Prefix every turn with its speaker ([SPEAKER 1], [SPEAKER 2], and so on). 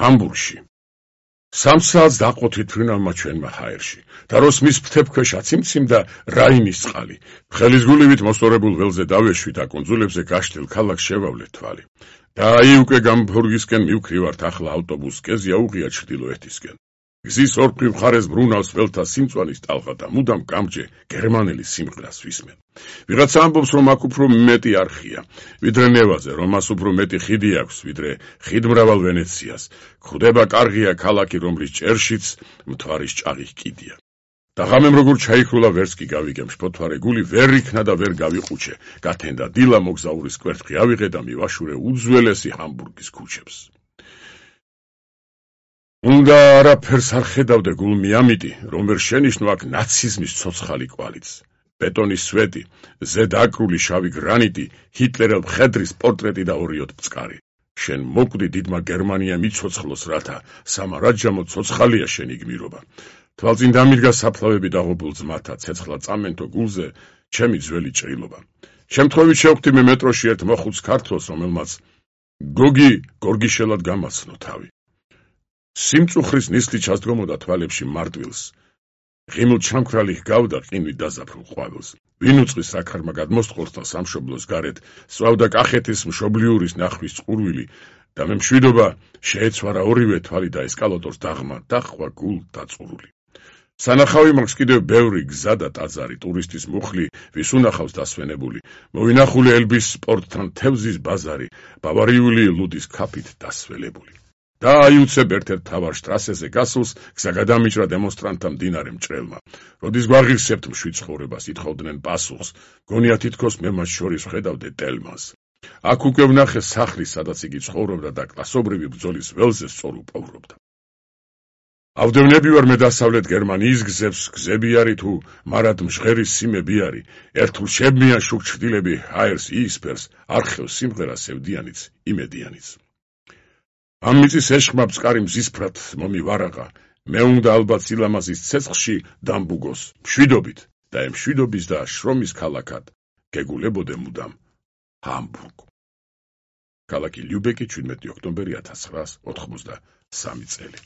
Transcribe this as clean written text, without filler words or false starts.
[SPEAKER 1] ჰამბურგში. 3 საათს დაყოთით თვრინავმა ჩვენმა ჰაერში და როს მის ფრთებქვეშ აციმციმდა რაინის წყალი. ხელის გულივით მოსწორებულ ველზე დავეშვი და კუნძულებზე გაშლილ ქალაქს შევავლეთ თვალი. და აი უკვე გამბურგისკენ მივქრივართ ახლა ავტობუსს კეზი აუღია ჩრდილოეთისკენ. გზის ორფრივ მხარეს ბრუნავს ველთა სიმწვანის ტალღა და მუდამ გამჯე გერმანელი სიმღერას ვისმენ. ვიღაცა ამბობს, რომ აქ უფრო მეტი არხია, ვიდრე ნევაზე, რომ მას უფრო მეტი ხიდი აქვს, ვიდრე ხიდმრავალ ვენეციას. გვხვდება კარგია ქალაქი, რომლის ჭერშიც მთვარის ჭაღი კიდია. და ღამემ როგორ ჩაიქრულა ვერც კი გავიგებ, შფოთვარე გული ვერ იქნა და ვერ გავიყუჩე. გათენდა დილა მოგზაურის კვერთხი ავიღე და მივაშურე უძველესი ჰამბურგის ქუჩებს. უნდა არაფერს არ ხედავდე გულმი ამიტი, რომ ვერ შენიშნო აქ ნაციზმის ცოცხალი კვალიც. ბეტონის სვეტი, ზედაკრული შავი გრანიტი, ჰიტლერელ მხედრის პორტრეტი და ორიოდ მწყარი. შენ მოკვდი დიდმა გერმანიამ იცოცხლოს, რათა სამარაჯამო ცოცხალია შენი გმირობა. თვალწინ დამიდგა საფლავები დაღუპულ ძმათა, ცეცხლა წამენთო გულზე ჩემი ძველი ჭრილობა. შემთხვევით შევხვდი მე მეტროში ერთ მოხუც ქართველს, რომელმაც გოგი გორგიშელად გამაცნო თავი. სიმწუხრის ნისლი ჩასდგომოდა თვალებში მარტვილს. ღიმილ ჩამქრალი ჰგავდა ყინვით დაზაფრულ ყვავილს. ვინ უწყის საქარმა გადმოსტყორს და სამშობლოს გარეთ სწვავდა კახეთის მშობლიურის ნახვის წყურვილი და მე მშვიდობა შეეცვარა ორივე თვალი და ესკალატორს დაღმა დახვა გულ დაწურული. სანახავი მაქვს კიდევ ბევრი გზა და ტაძარი, ტურისტის მუხლი, ვის უნახავს დასვენებული, მოვინახული ელბის სპორტთან თევზის ბაზარი, ბავარიული ლუდის ქაფით დასველებული. და აიუცებ ერთ-ერთ მთავარ შტრასეზე გასულს გზა გადამიჭრა დემონსტრანტთა მდინარე მჭრელმა. როდის გვაღირსებთ მშვიდ ცხოვრებას, ითხოვდნენ პასუხს, გონია თითქოს მე მათ შორის ვხედავდე ტელმანს. აქ უკვე ვნახე სახლი, სადაც იგი ცხოვრობდა და კლასობრივი ბრძოლის ველზე სწორ უპოვრობდა. ავდევნები ვარ მე დასავლეთ გერმანიის გზებს, გზები არის თუ მარად მჟღერი სიმები არის, ერთულ შებმიან შუქ ჩრდილები ჰაერს იისფერს, არხევს სიმღერას ევდიანიც, იმედიანიც. ამ მიწის ეშხმა ბწყარი მზისფრად მომივარაღა, მე უნდა ალბათ სილამაზის ცეცხლში დამბუგოს, მშვიდობით და ამ მშვიდობის და შრომის ქალაქად გეგულებოდე მუდამ ჰამბურგ. ქალაქი ლიუბეკი 17 ოქტომბერი 1983 წელი.